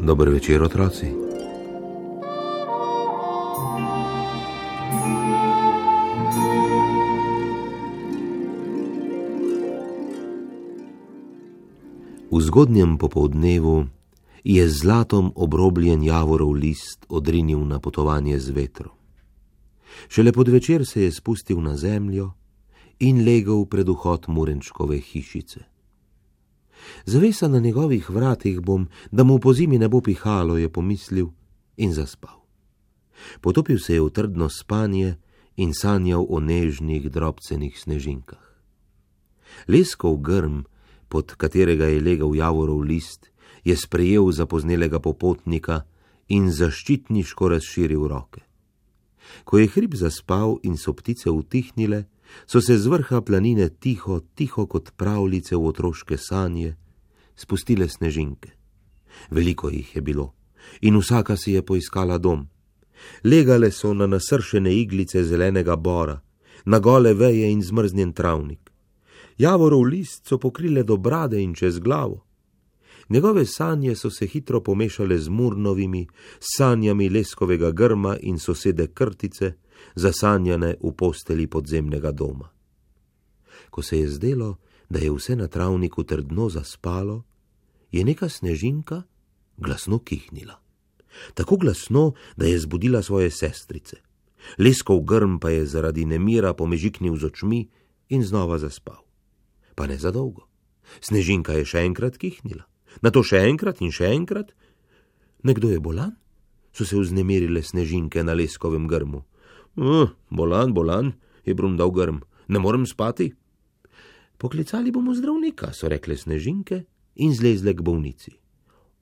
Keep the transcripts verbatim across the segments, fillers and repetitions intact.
Dober večer, otroci. V zgodnjem popoldnevu je z zlatom obrobljen javorov list odrinil na potovanje z vetrom. Šele pod večer se je spustil na zemljo in legel pred vhod Murenčkove hišice. Zavesa na njegovih vratih bom, da mu po zimi ne bo pihalo, je pomislil in zaspal. Potopil se je v trdno spanje in sanjal o nežnih, drobcenih snežinkah. Leskov grm, pod katerega je legel javorov list, je sprejel zapoznelega popotnika in zaščitniško razširil roke. Ko je hrib zaspal in so ptice utihnile, so se z vrha planine tiho, tiho kot pravljice v otroške sanje, spustile snežinke. Veliko jih je bilo in vsaka si je poiskala dom. Legale so na nasršene iglice zelenega bora, na gole veje in zmrznjen travnik. Javorov list so pokrile do brade in čez glavo. Njegove sanje so se hitro pomešale z Murnovimi, sanjami leskovega grma in sosede Krtice, zasanjane v posteli podzemnega doma. Ko se je zdelo, da je vse na travniku trdno zaspalo, je neka snežinka glasno kihnila. Tako glasno, da je zbudila svoje sestrice. Leskov grm pa je zaradi nemira pomežiknil z očmi in znova zaspal. Pa ne za dolgo. Snežinka je še enkrat kihnila. Nato še enkrat in še enkrat. Nekdo je bolan? So se vznemirile snežinke na leskovem grmu. Uh, bolan, bolan, je brundal grm. Ne morem spati. Poklicali bomo zdravnika, so rekle snežinke in zlezle k bolnici.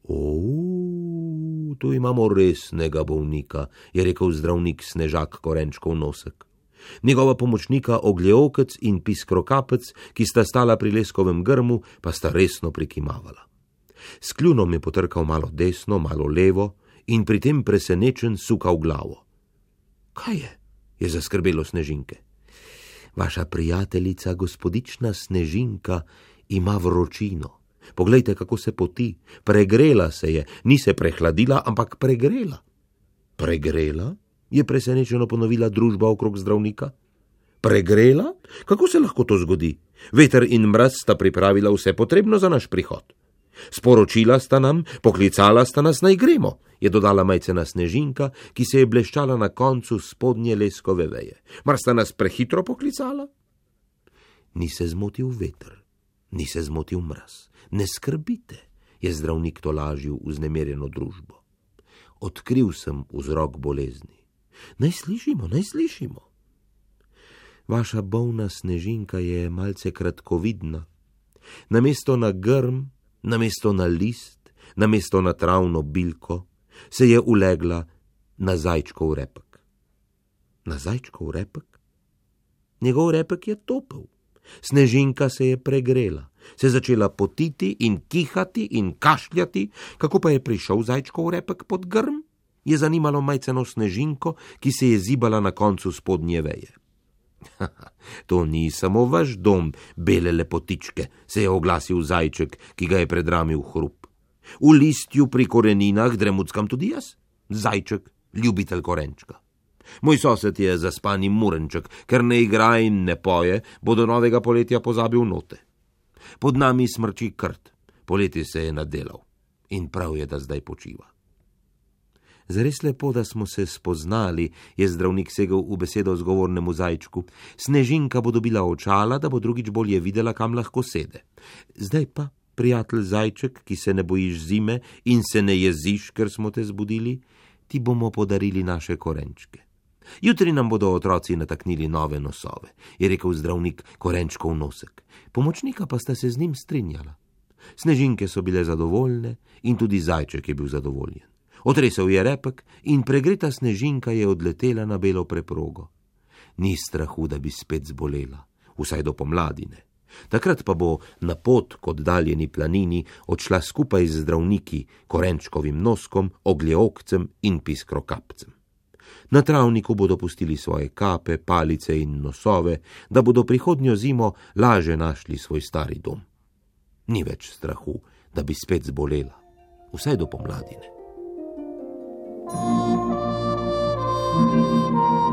O, tu imamo resnega bolnika, je rekel zdravnik Snežak Korenčkov nosek. Njegova pomočnika Ogljeokec in Piskrokapec, ki sta stala pri leskovem grmu, pa sta resno prikimavala. S kljunom je potrkal malo desno, malo levo in pri tem presenečen sukal glavo. Kaj je? Je zaskrbelo snežinke. Vaša prijateljica, gospodična Snežinka, ima vročino. Poglejte, kako se poti. Pregrela se je, ni se prehladila, ampak pregrela. Pregrela? Je presenečeno ponovila družba okrog zdravnika. Pregrela? Kako se lahko to zgodi? Veter in mraz sta pripravila vse potrebno za naš prihod. Sporočila sta nam, poklicala sta nas, naj gremo, je dodala majcena Snežinka, ki se je bleščala na koncu spodnje leskove veje. Mar sta nas prehitro poklicala? Ni se zmotil veter, ni se zmotil mraz. Ne skrbite, je zdravnik tolažil vznemirjeno družbo. Odkril sem vzrok bolezni. Naj slišimo, naj slišimo. Vaša bolna Snežinka je malce kratkovidna. Namesto na grm, namesto na list, namesto na travno bilko, se je ulegla na zajčkov repek. Na zajčkov repek? Njegov repek je topel. Snežinka se je pregrela, se začela potiti in kihati in kašljati. Kako pa je prišel zajčkov repek pod grm? Je zanimalo majceno Snežinko, ki se je zibala na koncu spodnje veje. To ni samo vaš dom, bele lepotičke, se je oglasil zajček, ki ga je predramil hrup. V listju pri koreninah dremuckam tudi jaz, zajček, ljubitelj korenčka. Moj sosed je zaspani Murenček, ker ne igra in ne poje, bo do novega poletja pozabil note. Pod nami smrči krt, poleti se je nadelal in prav je, da zdaj počiva. Zares lepo, da smo se spoznali, je zdravnik segel v besedo zgovornemu zajčku. Snežinka bo dobila očala, da bo drugič bolje videla, kam lahko sede. Zdaj pa, prijatelj zajček, ki se ne bojiš zime in se ne jeziš, ker smo te zbudili, ti bomo podarili naše korenčke. Jutri nam bodo otroci nataknili nove nosove, je rekel zdravnik Korenčkov nosek. Pomočnika pa sta se z njim strinjala. Snežinke so bile zadovoljne in tudi zajček je bil zadovoljen. Otresel je repek in pregreta Snežinka je odletela na belo preprogo. Ni strahu, da bi spet zbolela, vsaj do pomladine. Takrat pa bo na pot k oddaljeni planini odšla skupaj z zdravniki, Korenčkovim noskom, Ogljeokcem in Piskrokapcem. Na travniku bodo pustili svoje kape, palice in nosove, da bodo prihodnjo zimo laže našli svoj stari dom. Ni več strahu, da bi spet zbolela, vsaj do pomladine. Thank you.